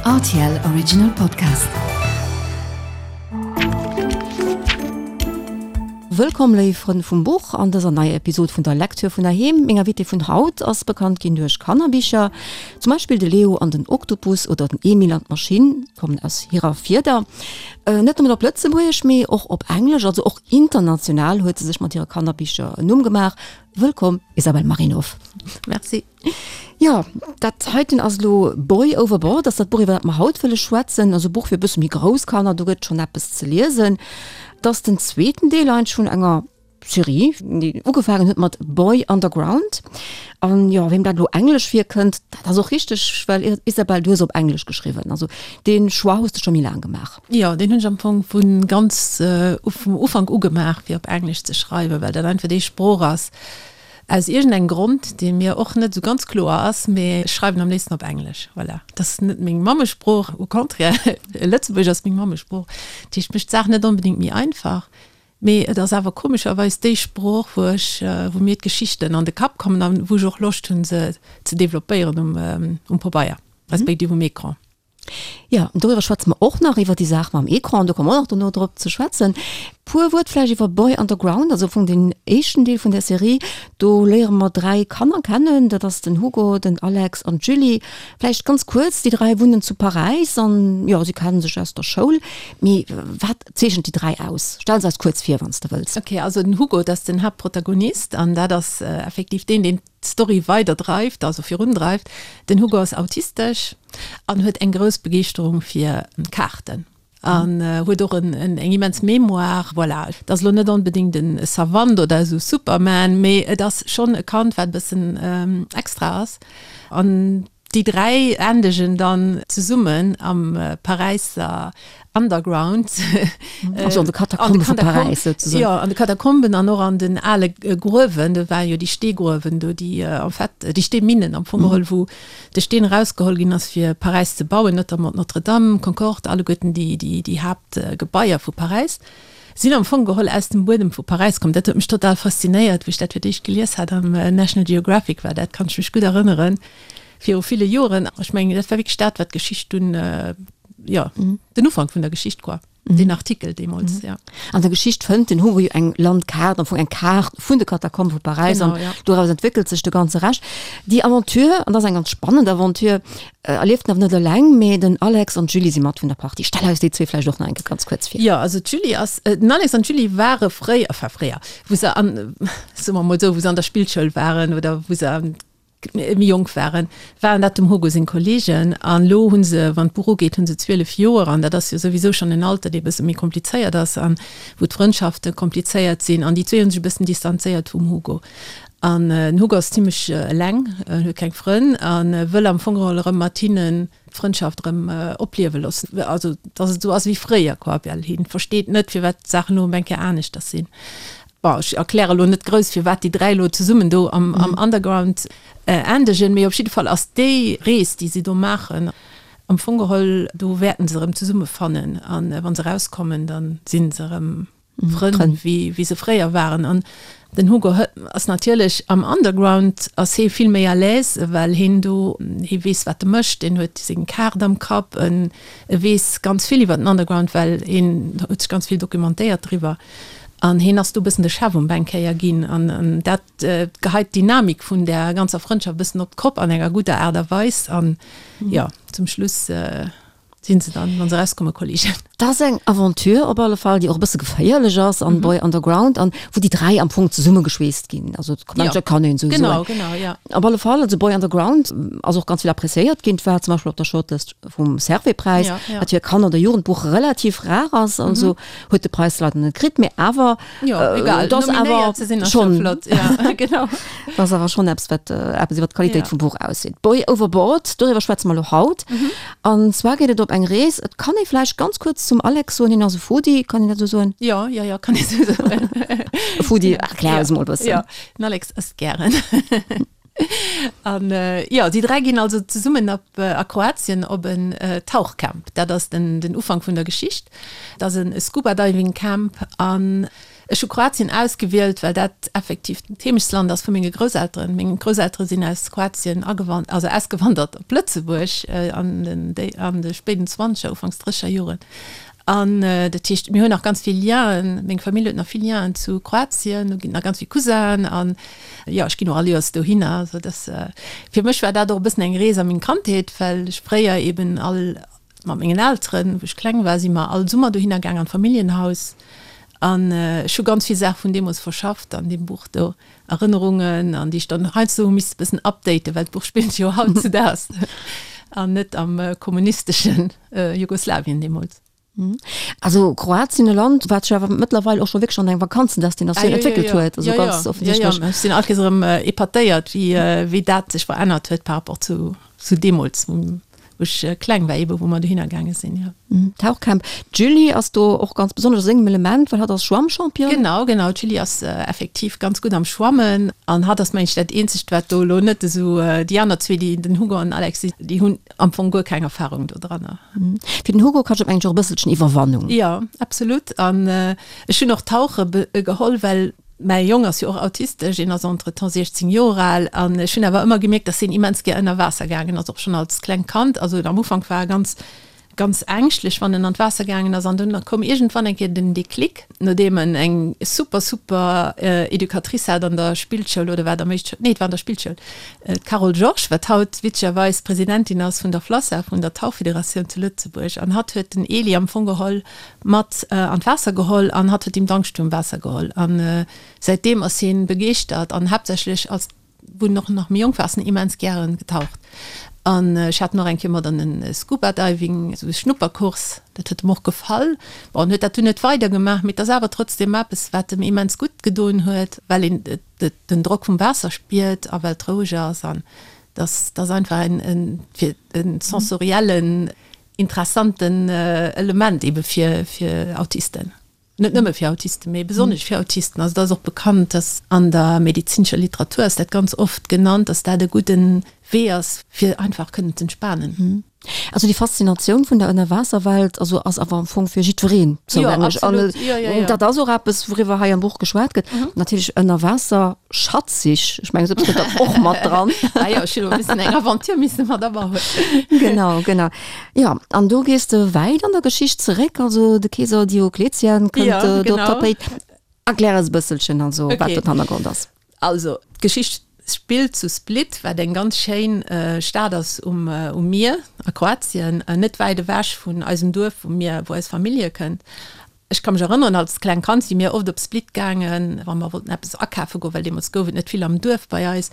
Rtl Original Podcast. Wëllkomm léif Frënn vum Buch an dëser neier Episod vun der Lecture vun heiheem. Meng Invitée vun haut ass bekannt ginn duerch Kannerbicher, zum Beispill de Leo an den Oktopus oder den Emil an d'Maschinn kommen aus hirer Fieder. Net nëmmen op Lëtzebuergesch, mee och op Englesch, also och international huet se sech mat hire Kannerbicher en Numm gemaach. Wëllkomm Isabelle Marinov. Merci. Jo, dat heiten ass elo Boy Overboard, ass dat Buch, iwwer dat mer haut wëlle schwätzen. Also e Buch fir e bësse méi grouss Kanner, do gëtt schonn eppes ze liesen. Et ass den zweeten Deel eigentlech vun enger Serie, déi ugefaangen huet mat Boy Underground. An jo, weem dat elo englesch virkënnt, dat ass och richteg, well Isabelle, du hues op Englesch geschriwwen. Also dee Choix hues de scho méi laang gemaach. Jo, deen hunn ech am Fong vu ganz vum Ufank u gemaach, fir op Englesch ze schreiwen, well dat einfach déi Sprooch ass, Aus iergendengem Grond, dee mir och net esou ganz kloer ass, mee ech schreiwen am léifsten op Englesch. Voilà. Dat ass net meng Mammesprooch, au contraire, Lëtzebuergesch ass meng Mammesprooch. Dat heescht, mécht d'Saach net onbedéngt méi einfach, mee et ass awer komescherweis déi Sprooch, wou ech, wou mir d'Geschichten an de Kapp kommen an wou ech och Loscht hunn, se ze developpéieren um, um Pabeier, respektiv um Ecran. Jo, doriwwer schwätze mer och nach, iwwer déi Saach mam Ecran, do komme mer och nach dono drop ze schwätzen. Puer Wuert vläicht iwwer Boy Underground, also am Fong den éischten Deel vun där Serie. Do léiere mer 3 Kanner kennen, dat ass den Hugo, den Alex an d'Julie. Vläicht ganz kuerz, déi 3 wunnen zu Paräis an, jo, si kenne sech aus der Schoul. Mee wat zeechent déi 3 aus? Stell se eis kuerz vir, wann s de wëlls. Ok, also den Hugo, dat ass den Haaptprotagonist an dat ass effektiv deen, deen d'Story weider dreift, also virun dreift. Den Hugo ass autistesch an huet eng grouss Begeeschterung fir Kaarten an huet och en eng immens Mémoire. Voilà, et ass elo net onbedéngt en Savant oder esou Superman, mee et ass schonn e Kand, wat e bëssen extra ass. An Déi 3 endegen dann zesummen am Paräisser Underground. Also an de Katakombe vu Paräis souzesoen. Jo, an de Katakomben an och an den ale Gruewen. Do waren jo déi Steegruewen do, déi en fait, déi Steeminnen am Fong geholl, wou de Steen erausgeholl ginn ass fir Paräis ze bauen, notamment d'Notre-Dame, Concorde, alleguerten déi, déi Haaptgebaier vu Paräis. Sinn am Fong geholl aus dem Buedem vu Paräis komm. Dat huet mech total faszinéiert, wéi ech dat fir d'éischt gelies hat am National Geographic war dat, kann ech mech gutt erënneren, viru ville Joren. Ech mengen, dat war wierklech dat, wat d'Geschicht dunn, jo, den Ufank vun der Geschicht quoi, deen Artikel deemools, jo. An der Geschicht fënnt den Hugo jo eng Landkaart, am Fong eng Kaart vun de Katakombe vu Paräis an doraus entwéckelt sech de ganze Rescht. Déi Aventure, an dat ass eng ganz spannend Aventure, Erlieft en awer net eleng, mee den Alex an d'Julie si mat vun der Partie. Stell eis déi zwee vläicht och nach eng Kéier ganz kuerz vir. Jo, also d'Julie ass, den Alex an d'Julie ware fréier, enfin fréier, wou se an, soe mer mol esou, wou se an der Spillschoul waren oder wou se méi jonk waren, waren dat dem Hugo seng Kolleegen. An elo hu se, wann d'Buch ugeet, hu se 12 Joer an dat ass jo souwisou schonn en Alter, dee e bësse méi komplizéiert ass an wou d'Frëndschafte komplizéiert sinn. An déi zwee hu sech e bëssen distanzéiert vum Hugo. An den Hugo ass zimmlech eleng, en huet keng Frënn a wëll am Fong geholl erëm mat hinnen d'Frëndschaft erëm opliewe loossen. Also dass et esou ass wéi fréier quoi, well hien versteet net firwat d'Saachen elo op eng Kéier aneschters sinn. Bon, ech erkläre elo net grouss firwat déi 3 elo zesummen do am Underground endegen, mee op jidde Fall ass déi Rees déi si do maachen am Fong geholl, do wäerten se erëm zesummefannen an wa se erauskommen, da si se erëm Frënn wéi wéi se fréier waren. An den Hugo ass natierlech am Underground ass hee vill méi à l'aise, well heen do, hee weess wat e mécht, heen huet seng Kaart am Kapp, en e weess ganz vill iwwer den Underground, well heen huet sech ganz vill dokumentéiert driwwer. An heen ass do e bëssen de Chef um Bänk kéier ginn. An an dat geheit d'Dynamik vun där ganzer Frëndschaft e bëssen op d'Kopp an enger gudder Aart a Weis. An jo, zum Schluss Sinn se dann, wann se erauskommen, Kollegen. Dat ass eng Aventure op alle Fall, déi och e bësse geféierlech ass an Boy Underground an wou déi 3 am Fong zesummegeschweesst ginn. Also ja. dat kann een esou soen. Genau, genau, ja. Op alle Fall, also Boy Underground ass och ganz vill appréciéiert ginn. Et war zum Beispill op der Shortlist vum Servais-Präis, ja, ja. wat fir e Kanner oder Jugendbuch relativ rar ass. Also huet de Präis leider net kritt, mee awer Jo, egal, et ass awer ze sinn ass scho flott. Ja, genau. Dat ass awer schonn eppes, wat eppes iwwer d'Qualitéit vum Buch ausseet. Boy Overboard, doriwwer schwätze mer elo haut. An zwar geet et op eng Rees. Et kann ee vläicht ganz kuerz zum Alex soen, hien ass e Foodie, kann een dat esou soen? Jo, jo, jo, kann ee sou soen. E Foodie, erklär eis emol e bëssen. Jo, den Alex ësst gären. An jo, déi 3 ginn also zesummen op a Kroatien op en Tauchcamp. Dat ass den den Ufank vun der Geschicht. Dat ass e Scuba Diving Camp an. Ech hu Kroatien ausgewielt, well dat effektiv d'Heemechtsland ass vu menge Grousselteren. Meng Grousseltere sinn aus Kroatien agewan also ausgewandert op Lëtzebuerg an den an de spéiden Zwanzeger, Ufanks Drësseger Joren. An dat heescht, mir hunn nach ganz vill Lienen, meng Famill huet nach vill Lienen zu Kroatien, do ginn nach ganz vill Cousinen an jo, ech ginn och all Joers dohinner. Also dass, fir mech war dat och e bëssen eng Rees a meng Kandheet, well ech fréier eben all mat mengen Elteren, wou ech kleng war, si mer all Summer dohinner gaang an d'Familljenhaus an ech hu ganz vill Saache vun deemools verschafft an deem Buch do, Erënnerungen an déi ech dann heiansdo hu misste bëssen updaten, well d'Buch spillt jo hautzudaags an net am kommunisteschen Jugoslawien deemools. Also Kroatien, e Land, wat sech awer mëttlerweil och scho wierklech an eng Vakanzendestinatioun entwéckelt huet, also ganz offensichtlech. Jo, jo, ech sinn all Kéiers erëm epatéiert, wéi, wéi dat sech verännert huet par rapport zu, zu deemools, wou ech kleng war, eebe wou mer dohinner gaange sinn, jo. Tauchcamp. D'Julie ass do och ganz besonnesch a sengem Element, well hatt ass Schwammchampion. Genau, genau, d'Julie ass effektiv ganz gutt am Schwammen an hatt ass, meng ech, dat eenzegt, wat do elo net esou, déi aner zwee, déi, den Hugo an den Alex, déi hunn am Fong guer keng Erfahrung do dranner. Fir den Hugo kascht et mengen ech och e bësselchen Iwwerwannung. Jo, absolut. An ech hunn och Tauche geholl, well mäi Jong ass jo och autistesch, en ass entretemps 16 Joer al an ech hunn awer ëmmer gemierkt, dass hien immens gär ënner Waasser gaangen ass, och schonn als klengt Kand. Also am Ufank war e ganz ganz ängschtlech, wann en an d'Waasser gaangen ass an dunn koum iergendwann eng Kéier den Déclic, nodeem en eng super, super Educatrice hat an der Spillschoul, oder war et am éischt, nee, et war an der Spillschoul, d'Carole Georges, wat haut witzegerweis Presidentin ass vun der FLASSA, vun der Tauchfederatioun zu Lëtzebuerg, an hatt huet den Eli am Fong geholl mat an d'Waasser geholl an hatt huet him d'Angscht virum Waasser geholl an säitdeem ass hien begeeschtert an haaptsächlech als wou en och nach méi jonk war, ass en immens gären getaucht. An ech hat en och eng Kéier mat an en Scuba Diving, esou e Schnupperkurs, dat huet em och gefall. Bon, en huet dat dunn net weider gemaach, mee et ass awer trotzdem eppes, wat em immens gutt gedoen huet, well een den Drock vum Waasser spiert a well et roueg ass. An dass ass einfach en, en, fir en sensoriellen, interessanten Element ebe fir, fir Autisten. Net nëmme fir Autisten, mee besonnesch fir Autisten. Also et ass och bekannt, dass an der medezinescher Literatur ass dat ganz oft genannt, dass dat e gudde Wee ass, fir einfach kënnen z'entspanen. Also déi Faszinatioun vun der Ënnerwaasserwelt also ass awer am Fong fir jiddwereen zougänglech. An dat ass och eppes, wouriwwer hei am Buch geschwat gëtt. Natierlech Ënnerwaasser-Schatzsich, ech mengen, esou eppes gëtt dann och mat dran. Ah jo, ech hunn elo e bëssen eng Aventure misse mat abauen. Genau, genau. Jo, an do gees de wäit an der Geschicht zeréck, also de Keeser Diokletian kënnt ja, do op d'Tapéit. Erklär eis e bësselchen also, okay. wat do den Hannergrond ass. Also, d'Geschicht spillt zu Split, wat eng ganz schéin Stad ass um, um Mier a Kroatien, net wäit ewech vun eisem Duerf, wou mir, wou eis Famill hierkënnt. Ech ka mech erënneren, als kleng Kand si mir oft op Split gaangen, wa mer wollten eppes akafe goen, well deemools gouf et net vill am Duerf bei eis.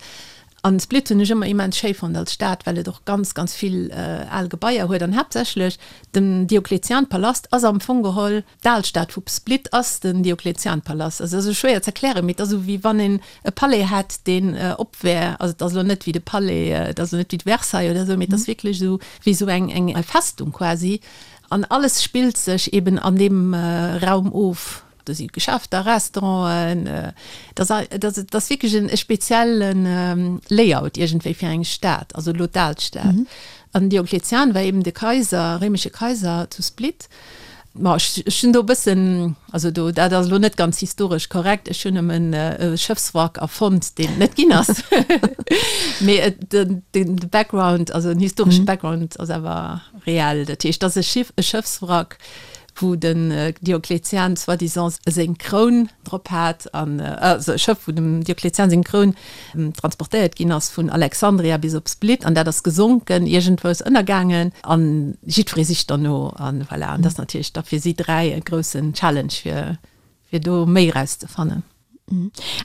An Split hunn ech ëmmer immens schéi fonnt als Stad, well et och ganz, ganz vill al Gebaier huet. An haaptsächlech den Diokletianpalast ass am Fong geholl, d'Alstad vu Split ass den Diokletianpalast. Also dat ass esou schwéier ze erklären, mee et ass esou wéi wann een e Palais hätt, deen op wär. Also et ass elo net wéi de Palais, et ass elo net wéi d'Versailles oder esou, mee et ass wierklech esou wéi esou eng, eng Festung quasi. An alles spillt sech eben an deem Raum of. Do si Geschäfter, Restauranten, et ass, et ass, et ass wierklech en spezielle Layout iergendwéi fir eng Stad, also elo d'Alstad. An Diokletian war eben de Kaiser, réimesche Kaiser zu Split. Ma ech, ech hunn do e bëssen, also do, dat ass elo net ganz historesch korrekt, ech hunn nëmmen e Schëffswrack erfonnt, deen et net ginn ass. Mee et, den, den Background, also den historesche Background ass awer Reell, dat heescht, dass e Schiff, e Schëffswrack, wou den Diokletian soi-disant seng Kroun drop hat, an also e Schëff, wou dem Diokletian seng Kroun transportéiert ginn ass vun Alexandria bis op Split, an dat ass gesonken, iergendwous ënnergaangen, an jiddweree sicht derno, an voilà. An dat ass natierlech da fir si 3 e groussen Challenge, fir fir do méi erauszefannen.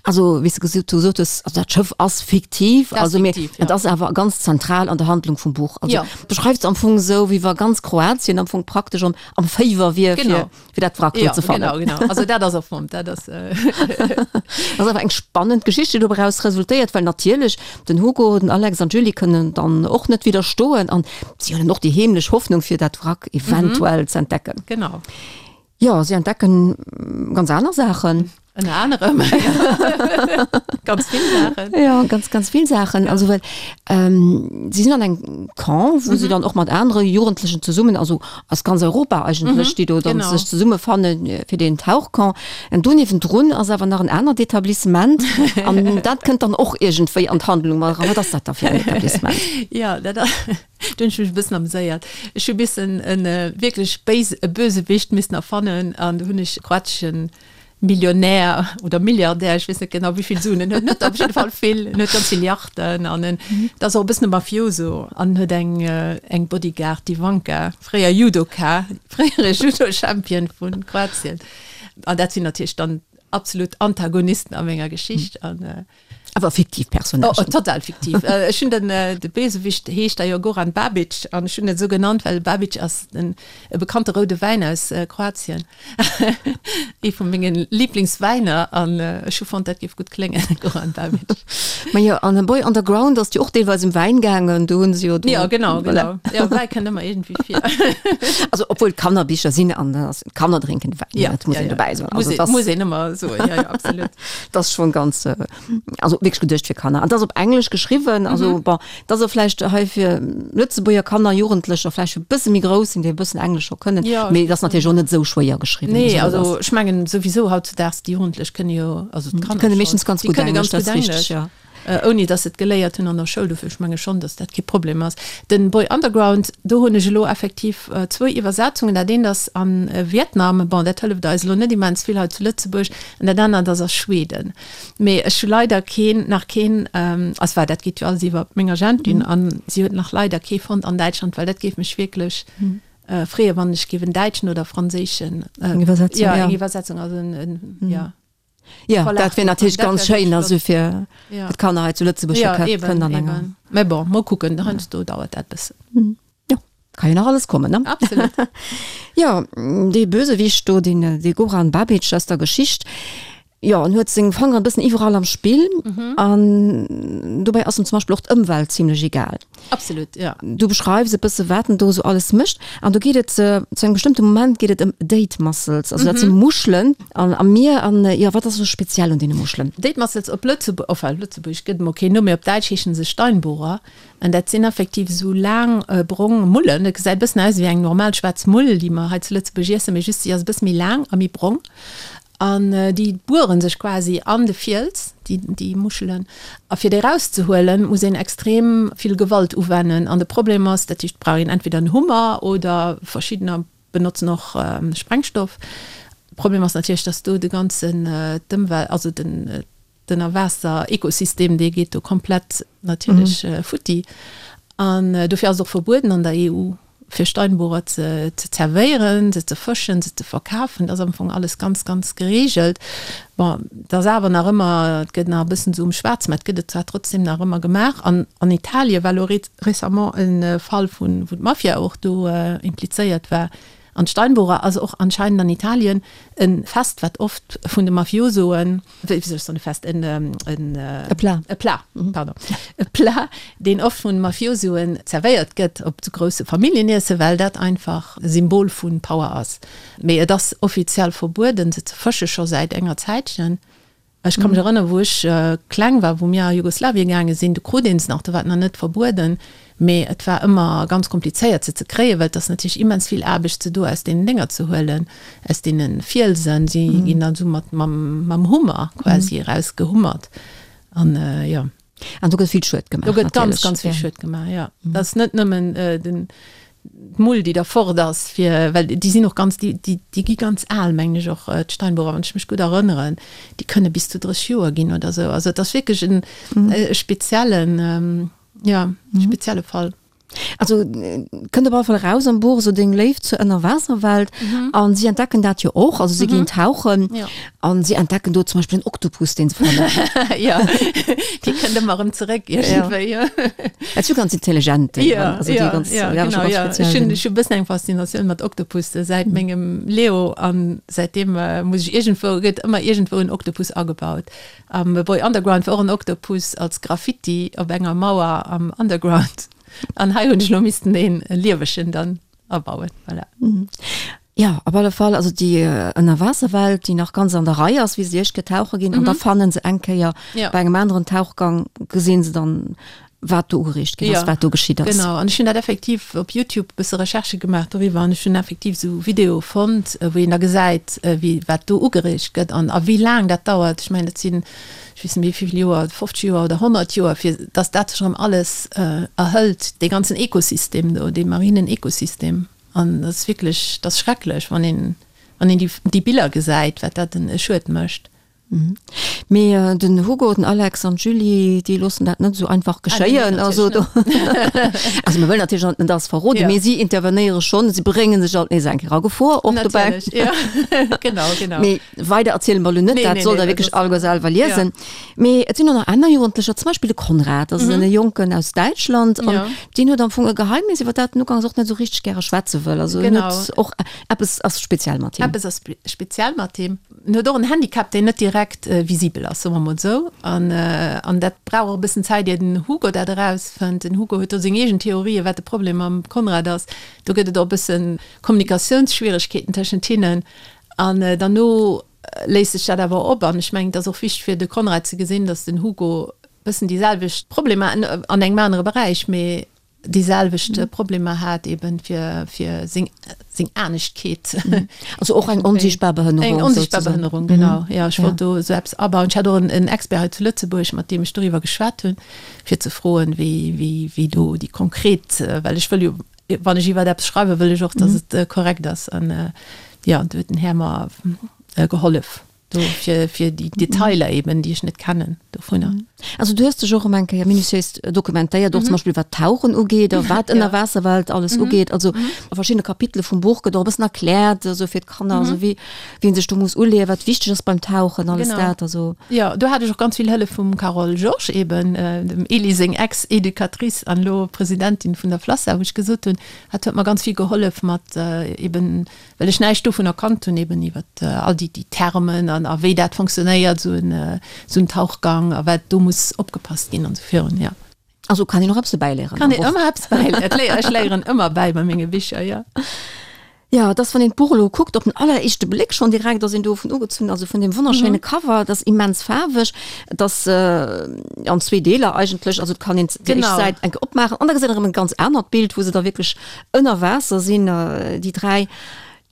Also wéi s de gesot hues, also dat Schëff ass fiktiv, also mee et ass awer ganz zentral an der Handlung vum Buch. Also ja. beschreifs am Fong esou, wéi wa ganz Kroatien am Fong praktesch am, am Féiwer wier fir, fir dat Wrack do ze fannen. Genau, genau. Also dat ass erfonnt, dat ass. Ass awer eng spannend Geschicht, déi doraus resultéiert, well natierlech den Hugo, den Alex an d'Julie kënnen dann och net widderstoen an si hunn och déi heemlech Hoffnung fir dat Wrack eventuell ze entdecken. Genau. Jo, si entdecken ganz aner Saachen. Ënner anerem ganz vill Saachen. Ja, ganz, ganz vill Saachen. Also well ähm, si sinn an engem Camp, wou mm -hmm. se dann och mat anere Jugendlechen zesummen, also aus ganz Europa eigentlech, mm -hmm. déi do dann genau. sech zesummefanne äh, fir den Tauchcamp. An do niewendrun ass awer nach en anert Etablissement an dat kënnt dann och iergendwéi an d'Handlung mat eran. Wat ass dat da fir en Etablissement? Ja, dat Do hunn ech mech e bëssen ameséiert. Ech hu missen e wierklech béis, e Bösewicht missen erfannen an do hunn ech e kroateschen Millionär oder Milliardär, ech weess net genau wéi vill Suen en huet, en huet op jidde Fall vill, en huet ganz vill Yachten an en ass och e bëssen e Mafioso an huet eng eng Bodyguard, d'Ivanka, fréier Judoka, fréiere Judo-Champion vu Kroatien. An dat sinn natierlech dann absolut Antagonisten a menger Geschicht an. Awer fiktiv Personnagen. Oh, total fiktiv. Ech hunn den, de Bösewicht heescht da jo Goran Babic an ech hunn en esou genannt, well Babic ass den, e bekannte roude Wäin aus Kroatien. Ee vu menge Liblingswäiner an ech hu fonnt, dat géif gutt kléngen, Goran Babic. Ma jo, an Boy Underground ass jo och deelweis ëm Wäin gaangen, do hunn se jo do. Jo, genau, genau. Jo, Wäi kënnt ëmmer iergendwéi vir. Also obwuel et Kannerbicher sinn an da ass Kanner drénken Wäin, ja, dat muss ja, een ja. dobäi soen. Muss Also een, dat muss een ëmmer soen, jo, jo, absolut. Dat ass schon ganz, also wierklech geduecht fir Kanner. An dat ass op Englesch geschriwwen, also mhm. bon, dat ass och vläicht hei fir Lëtzebuerger Kanner, Jugendlecher vläicht e bësse méi grouss sinn, déi e bëssen Englesch scho kënnen. Ja, Mee dat ass natierlech och net esou schwéier geschriwwen. Nee, also ech mengen souwisou hautzudags déi Jugendlech kënne jo, also d'Kanner kënne meeschtens ganz gutt Englesch, ganz gutt Englesch, ja. Ouni dass se et geléiert hunn an der Schoul. Dofir, ech menge schonn, dass dat kee Problem ass. Den Boy Underground, do hunn ech elo effektiv zwou Iwwersetzungen. Dat eent ass a Vietnam, bon, dat hëlleft eis elo net immens vill hei zu Lëtzebuerg, an dat anert ass a Schweden. Mee ech hu leider keen, nach keen, also well dat geet jo alles iwwer meng Agentin, a si huet nach leider kee fonnt an Däitschland, well dat géif mech wierklech freeën, wann ech géif en däitschen oder franséischen, Eng Iwwersetzung, jo, eng Iwwersetzung, also en, jo. Ja, dat wär natierlech ganz schéin, also fir d'Kanner hei zu Lëtzebuerg ja, kënnen an enger. Mä bon, mol kucken, heiansdo dauert dat bëssen. Jo, ka jo nach alles kommen, ne? Absolut. Jo, dee Bösewicht do, deen dee Goran Babic aus der Geschicht, jo, en huet seng Fangeren e bëssen iwwerall am Spill an dobäi ass em zum Beispill och d'Ëmwelt zimlech egal. Absolut, ja. Du beschreifs e bësse wat en do esou alles mécht an do geet et zu engem bestëmmte Moment geet et ëm Date Mussels, also dat si Muschelen an am Mier an jo wat ass esou speziell un deene Muschelen? Date Mussels op Lëtzebuerg, enfin Lëtzebuergesch gëtt emol keen Numm, mee op Däitsch heeschen se Steinbohrer an dat sinn effektiv esou laang brong Mullen. Dat gesäit e bëssen aus ewéi eng normal schwaarz Mull, déi mer hei zu Lëtzebuerg iessen, mee just si ass e bësse méi laang a méi brong. An déi buere sech quasi an de Fiels, déi, déi Muschelen. A fir déi erauszehuelen, muss een extrem vill Gewalt uwennen. An de Problem ass, dat heescht, et brauch een entweder en Hummer oder verschiddener benotzen och Sprengstoff. De Problem ass natierlech, dass do de ganzen, d'Ëmwelt, also den, D'Ënnerwaasser-Ekosystem, dee geet do komplett natierlech futti. An dofir ass et och verbueden an der EU, fir Steinbohrer ze zerwéieren, se ze fëschen, se ze verkafen. Dat ass am Fong alles ganz, ganz gereegelt. Bon, et ass awer nach ëmmer, et gëtt nach e bëssen esou um Schwaarz, mä et gëtt et zwar trotzdem nach ëmmer gemaach. An an Italien war elo récemment e Fall vun, wou d'Mafia och do implizéiert war. An d'Steinbohrer ass och anscheinend an Italien e Fest, wat oft vun de Mafiosoen, wéi soll ech soen, e Fest, en, en, E Plat. E Plat, pardon, e Plat, deen oft vun Mafiosoen zerwéiert gëtt op sou grousse Familljeniessen, well dat einfach e Symbol vu Power ass. Mee et ass offiziell verbueden, se ze fësche scho säit enger Zäitchen. Ech ka mech erënneren, wou ech kleng war, wou mir a Jugoslawien gaange sinn, do krut een se nach, do war et nach net verbueden, mee et war ëmmer ganz komplizéiert se ze kréien, well et ass natierlech immens vill Aarbecht se do aus deenen Dénger ze huelen, aus deene Fielsen. Si ginn dann esou mat mam mam Hummer quasi erausgehummert an jo. An do gëtt vill Schued gemaach. Do gëtt ganz, ganz vill Schued gemaach, jo. Dat ass net nëmmen den d'Mull, déi da fort ass, fir, well déi sinn och ganz, déi, déi, déi gi ganz al, mengen ech och, d'Steinbohrer, wann ech mech gutt erënneren. Déi kënne bis zu 30 Joer ginn oder esou. Also et ass wierklech en e speziellen, jo, spezielle Fall. Also kënnt op alle Fall eraus am Buch esou deng Léift zur Ënnerwaasserwelt an si entdecken dat jo och, also si ginn tauchen an si entdecken do zum Beispill en Oktopus, deen se fannen. Jo, dee kënnt ëmmer erëm zeréck iergendwéi, jo. Dat si jo ganz intelligent Déieren, also déi ganz, ja, genau, ja. Ech hunn ech hu e bëssen eng Faszinatioun mat Oktopusse säit mengem Leo an säitdeem muss ech iergendwou, gëtt ëmmer iergendwou en Oktopus agebaut. Am Boy Underground war och en Oktopus als Graffiti op enger Mauer am Underground. An hei hunn ech elo missten een liewegen dann abauen. Voilà. Jo, op alle Fall, also déi Ënnerwaasserwelt, déi nach ganz an der Rei ass, wéi se déi éischt Kéier tauche ginn, an da fannen se eng Kéier bei engem aneren Tauchgang, gesinn se dann, wat do ugeriicht ginn ass, wat do geschitt ass. Genau, an ech hunn dat effektiv op Youtube e bësse Recherchë gemaach doriwwer an ech hunn effektiv esou Videoe fonnt, wou een da gesäit, wéi, wat do ugeriicht gëtt an a wéi laang dat dauert. Ech mengen, dat sinn, ech weess net méi wéi vill Joer, 50 Joer oder 100 Joer, fir datt dat sech erëm alles erhëlt, dee ganzen Ekosystem do, dee marinen Ekosystem. An dat ass wierklech, dat ass schrecklech, wann een, wann een déi, déi Biller gesäit, wat dat en e Schued mécht. Mee den Hugo, den Alex an d'Julie, déi loossen dat net esou einfach geschéien. Also do, also mir wëllen natierlech net alles verroden, mee si intervenéiere schonn, si brénge sech alt nees eng Kéier a Gefor och dobäi. Natierlech, jo. Genau, genau. Mee weider erziele mer elo net, dat sollt der wierklech alleguer selwer liesen. Mee et sinn och nach aner Jugendlecher, zum Beispill de Konrad, dat ass e Jonken aus Däitschland an deen huet am Fong e Geheimnis, iwwer dat en ugangs och net esou richteg gäre schwätze wëll. Also en huet och, eppes ass speziell mat him. Eppes ass speziell mat him. En huet och en Handicap, deen net direkt visibel ass, soe mer mol esou. An, an dat brauch och e bëssen Zäit, ier den Hugo dat erausfënnt. Den Hugo huet do seng eegen Theorien, wat de Problem mam Konrad ass. Do gëtt et och e bësse Kommunikatiounsschwieregkeeten tëschent hinnen. An derno léist sech dat awer op. An ech mengen, et ass och wichteg fir de Konrad ze gesinn, datt den Hugo e bëssen déi selwecht Problemer, an engem anere Beräich, mee déi selwecht Problemer hat eben fir fir seng seng Aneschtkeet. Also och eng onsiichtbar Behënnerung. Eng onsiichtbar Behënnerung, genau. Ja, ech wollt do esou eppes abauen. Ech hat och en Expert hei zu Lëtzebuerg, mat deem ech doriwwer geschwat hunn, fir ze froen, wéi wéi wéi do déi konkret, well ech wëll jo, wann ech iwwer eppes schreiwen, wëll ech och, datt et korrekt ass. An jo, do huet den Här mer gehollef. Do fir, fir déi Detailer eben, déi ech net kennen dovunner. Also du hues dech och erëm eng Kéier minutiéis dokumentéiert, och zum Beispill wat d'Tauchen ugeet a wat d'Ënnerwaasserwelt alles ugeet. Also a verschiddene Kapitele vum Buch gëtt och e bëssen erkläert, esou fir d'Kanner, esou wéi wéi een sech do muss uleeën, wat wichteg ass beim Tauchen, alles dat. Also. Jo, do hat ech och ganz vill Hëllef vum Carole Georges eben, dem Elie seng Ex-Educatrice an elo Presidentin vun der FLASSA, wou ech gesot hunn, hat huet mer ganz vill gehollef mat eben well ech näischt dovunner kannt hunn, eben iwwer all déi déi Termen an a wéi dat fonctionnéiert, esou en esou en Tauchgang a wat do muss opgepasst ginn an esou virun, jo. Also kann een och eppes dobäi léieren. Kann een ëmmer eppes bäiléieren. Ech léieren ëmmer bäi bei menge Bicher, jo. Jo, et ass, wann een d'Buch elo kuckt, op den alleréischte Bléck schonn direkt ass een dovun ugezunn, also vun deem wonnerschéine Cover, et ass immens faarweg, et ass an zwee Deeler eigentlech, also et kann een déi éischt Säit eng Kéier opmaachen an da gesäit een erëm e ganz anert Bild, wou se da wierklech Ënner Waasser sinn déi 3.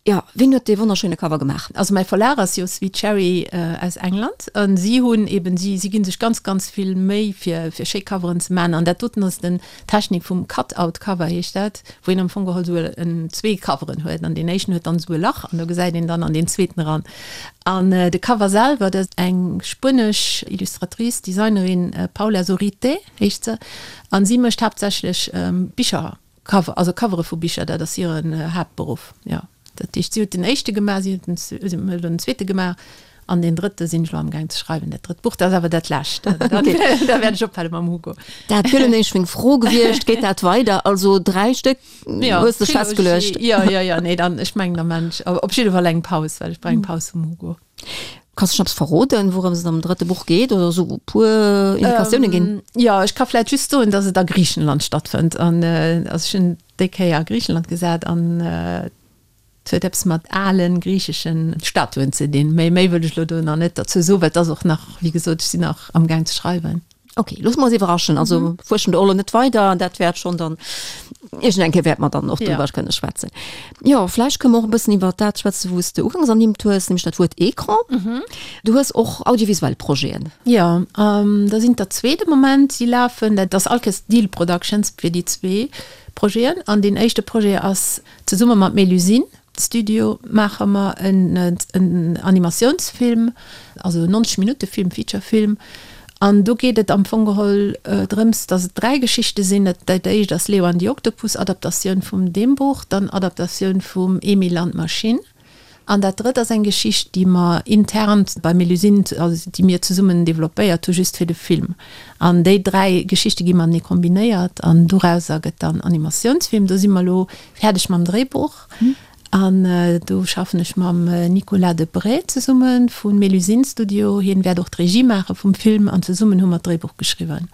Jo, ween huet dee wonnerschéine Cover gemaach? Also mäi Verlag ass jo Sweet Cherry aus England an si hunn eben, si si gi sech ganz ganz vill Méi fir fir schéi Coveren ze man an dat doten ass den Technik vum Cut-out Cover heescht dat, wou een am Fong geholl esou en zwee Coveren huet an deen éischten huet dann esou e Lach an do gesäit een dann an deen zweeten eran. An de Cover selwer, dat ass eng spuenesch Illustratrice, Designerin, Paula Zurite heescht se an si mécht haaptsächlech Bicher. Cover, also Covere vu Bicher, dat ass hiren Haaptberuff, jo. Dat heescht, si huet den éischte gemaach, si huet den, elo den zweete gemaach an deen drëtte sinn ech elo amgaang ze schreiwen, dat drëtt Buch. Dat ass awer dat lescht. Da wäert ech ophale mam Hugo. Dat wier elo nämlech meng Fro gewiescht, Geet dat weider? Also 3 Stéck hues de festgeluecht? Jo, jo, jo, nee, dann, ech mengen, da maan ech op jidde Fall eng Paus, well ech brauch eng Paus vum Hugo. Kanns du schon eppes verroden, wourëms et am drëtte Buch geet oder esou e puer Indikatioune ginn? Jo, ech ka vläit just soen, datt et a Griichenland stattfënnt. An also ech hunn déi Kéier a Griichenland gesat an et huet eppes mat ale griichesche Statuen ze dinn. Méi méi wëll ech elo do nach net derzou soen, well et ass och nach, wéi gesot, ech sinn nach amgaang ze schreiwen. Ok, loosse mer eis iwwerraschen. Also mhm. fuerschen do och lo net weider, dat wäert schon dann iergend eng Kéier wäert mer dann och drüber ja. kënne schwätzen. Jo, vläicht kënne mer och e bëssen iwwer dat schwätzen, wou s de ugangs ernimmt hues, nämlech dat Wuert Ecran. Mhm. Du hues och audiovisuell Projeten. Ja, ähm, da sinn der zwee de Moment, déi lafen. Dat ass allkéiers Deal Productions fir déi zwee Projeten. An deen éischte Projet ass zesumme mat Mélusine. Studio maache mer en Animatiounsfilm, also en 90 Minutte Film, Feature Film. An do geet et am Fong geholl drëms, datt et 3 Geschichte sinn. Dat éischt ass Leo an die Oktopus, Adaptatioun vum deem Buch, dann Adaptatioun vum Emil an d'Maschinn. An dat drëtt ass eng Geschicht, déi mer intern bei Melusine, also déi mir zesummen developpéiert hu just fir de Film. An déi 3 Geschichte gi matenee kombinéiert an dorauser gëtt dann Animatiounsfilm. Do si mer elo Fäerdeg mam Dréibuch an do schaffen ech mam Nicolas Debray zesumme vu Mélusine Studio. Hien wäert och d'Regie maache vum Film an zesummen hu mer d'Dréibuch geschriwwen.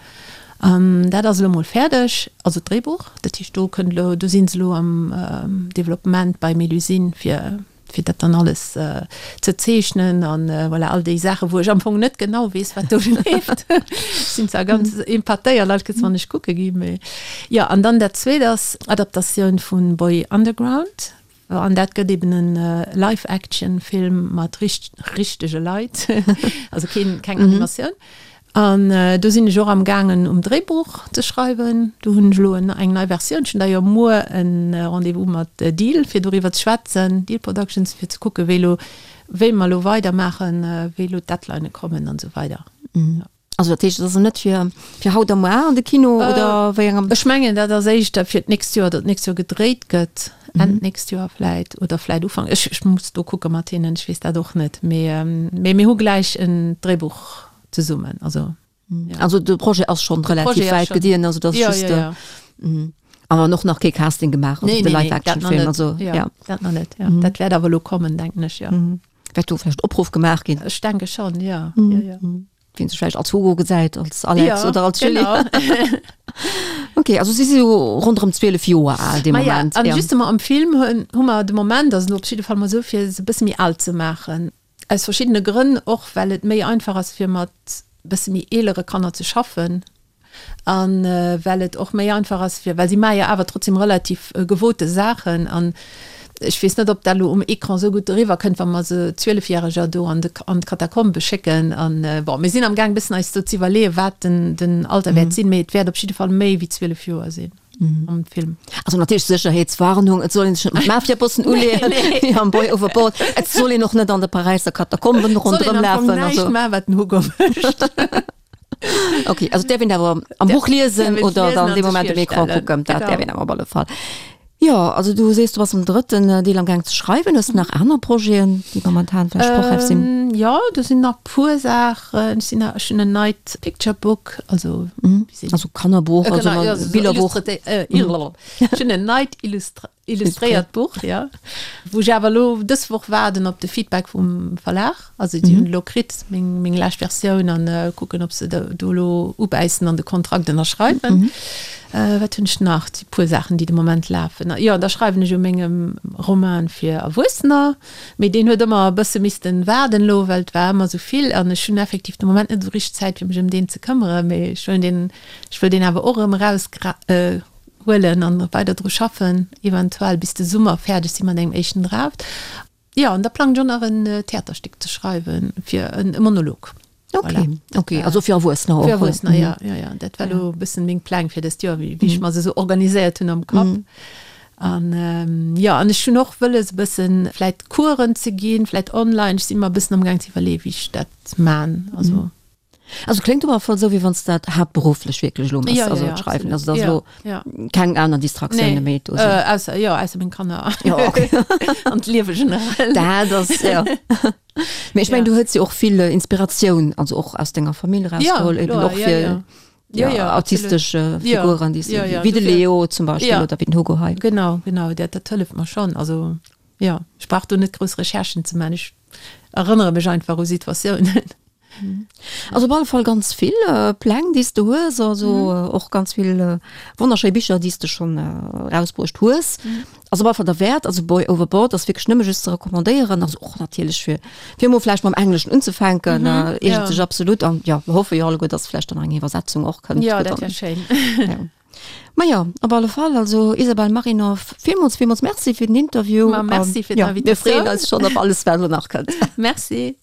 An dat ass elo mol fäerdeg, also d'Dréibuch. Dat heescht, do kënnt elo, do si se elo am Developpement bei Melusine, fir, fir dat dann alles ze zeechnen an voilà, all déi Saachen, wou ech am Fong net genau weess, wat do leeft. Ech sinn zwar ganz empatéiert all Kéiers, wann ech kucke ginn, mee jo. An dann dat Zweet ass Adaptatioun vu Boy Underground. An dat gëtt eben en Live-Action-Film mat richtege Leit, also keen, keng Animatioun. An do sinn ech och am gaangen um Dréibuch ze schreiwen. Do hunn ech elo eng nei Versioun. Ech hunn d'ailleurs muer e Rendez-vous mat Deal fir doriwwer ze schwätzen, Deal Productions, fir ze kucke wéi elo, wéi mer elo weidermaachen, wéi elo d'Deadlinë kommen an esou weider. Also dat heescht, et ass net fir fir haut a muar an de Kino oder wéi engem? Ech mengen, dat ass éischter fir d'nächst Joer, datt d'nächst Joer gedréit gëtt, Enn d'nächst Joer vläit oder vläit Ufank. Ech ech muss do kucke mat hinnen, ech weess dat och net. Mee mee mir hu gläich en Dréibuch zesummen, also jo. Also de Projet ass schonn relativ wäit gediehen, also dat ass just. Ja, ja, ja. An och nach kee Casting gemaach, also de Live-Action-Film, also ja. Dat nach net, ja. Dat wäert awer elo kommen, denken ech, jo. Wäert do vläicht Opruff gemaach ginn? Ech denke schonn, jo. Jo, jo. Wien sech vläicht als Hugo gesäit, als Alex ja, oder als Julie. Genau. okay, also si si jo ronderëm 12 Joer al dee Moment. Ja, an ja. justement am Film hunn hu mer de Moment, also op jidde Fall mol sou, fir se e bësse méi al ze maachen. Aus verschiddene Grënn, och well et méi einfach ass fir mat bësse méi eelere Kanner ze schaffen. An well et och méi einfach ass fir, well si maache jo awer trotzdem relativ gewote Saachen an ech weess net, ob dat elo um Ecran esou gutt eriwwer kënnt, wa mer se Zwielefjäreger do an de, an d'Katakombe schécken. An bon, mir sinn am gaang e bëssen eis do ze iwwerleeën, wat den, den Alter wäert sinn, mee et wäert op jidde Fall méi wéi 12 Joer sinn am Film. Also natierlech Sécherheetswarnung, et soll een sech net mat Mafiabossen uleeën, wéi am Boy Overboard. Et soll een och net an de Paräisser Katakomben ronderëm lafen. Soll een am Fong näischt maachen, wat den Hugo mécht. Okay, also däerf een awer am Buch liesen oder dann dee Moment um Ecran kucken, dat däerf een awer op alle Fall. Jo, also du sees, du bass am drëtten Deel am Gaang ze schreiwen. Hues de nach aner Projeten, déi momentan vläicht sprochräif sinn? Jo, do sinn nach puer Saachen. Ech sinn nach, ech hunn en neit Picture Book, also Also Kannerbuch, also Billerbuch. Ech hunn en neit Illustra Illustréiert Buch, jo. Wou ech awer elo dës Woch waarden op de Feedback vum Verlag. Also déi hunn elo kritt, meng, meng lescht Versioun an kucken, ob se do elo ubäissen an de Kontrakt ënnerschreiwen. Wat hunn ech nach? Et si puer Saachen, déi de Moment lafen. Jo, da schreiwen ech u mengem Roman fir Erwuessener. Mee deen huet ëmmer e bësse missten waarden elo, well et war ëmmer esou vill an ech hunn effektiv de Moment net esou richteg Zäit, fir mech ëm deen ze këmmere. Mee ech wëll deen, ech wëll deen awer och erëm eraus huelen an weider dru schaffen, eventuell bis de Summer fäerdeg si mat engem éischten Draft. Jo, an da plangen ech och nach en Theaterstéck ze schreiwen, fir e Monolog. Ok, ok, also fir Erwuessener och? Fir Erwuessener, jo, jo, jo. Dat war elo e bëssen meng Pläng fir dëst Joer, wéi ech mer se esou organiséiert hunn am Kapp. An jo, an ech hunn och wëlles e bëssen vläit Coursen ze ginn, vläit online. Ech si mer e bëssen amgaang ze iwwerleeën, wéi ech dat man. Also. Also kléngt op alle Fall esou, wéi wann s de dat haaptberufflech wierklech elo méchs, also d'Schreiwen. Also dass elo keng aner Distraktioune méi do sinn. Ausser, jo, ausser meng Kanner. Jo, okay. An d'Liewe generell. Dat ass, jo. Mee ech mengen, du hues jo och vill Inspiratioun, also och aus denger Famill erausgeholl, eben och fir autistesch Figuren, déi s de, wéi de Leo zum Beispill oder wéi den Hugo hei. Genau, genau, dat dat hëlleft mer schonn. Also jo, ech brauch do net grouss Recherchen ze maachen, ech erënnere mech einfach u Situatiounen. Also op alle Fall ganz vill Pläng, déi s de hues, also och ganz vill wonnerschéi Bicher, déi s de schonn erausbruecht hues. Ass op alle Fall derwäert. Also Boy Overboard ass wierklech nëmme just ze recommandéieren, also och natierlech fir fir emol vläicht mam Engleschen unzefänken, eegent sech absolut. An jo, mer hoffe jo alleguer, dass vläicht dann nach eng Iwwersetzung och kënnt. Jo, dat wär schéin. Ma jo, op alle Fall, also Isabelle Marinov, villmools, villmools Merci fir den Interview. Ma merci fir d'Invitatioun. Mir freeën eis schonn op alles, wat elo nach kënnt. Merci.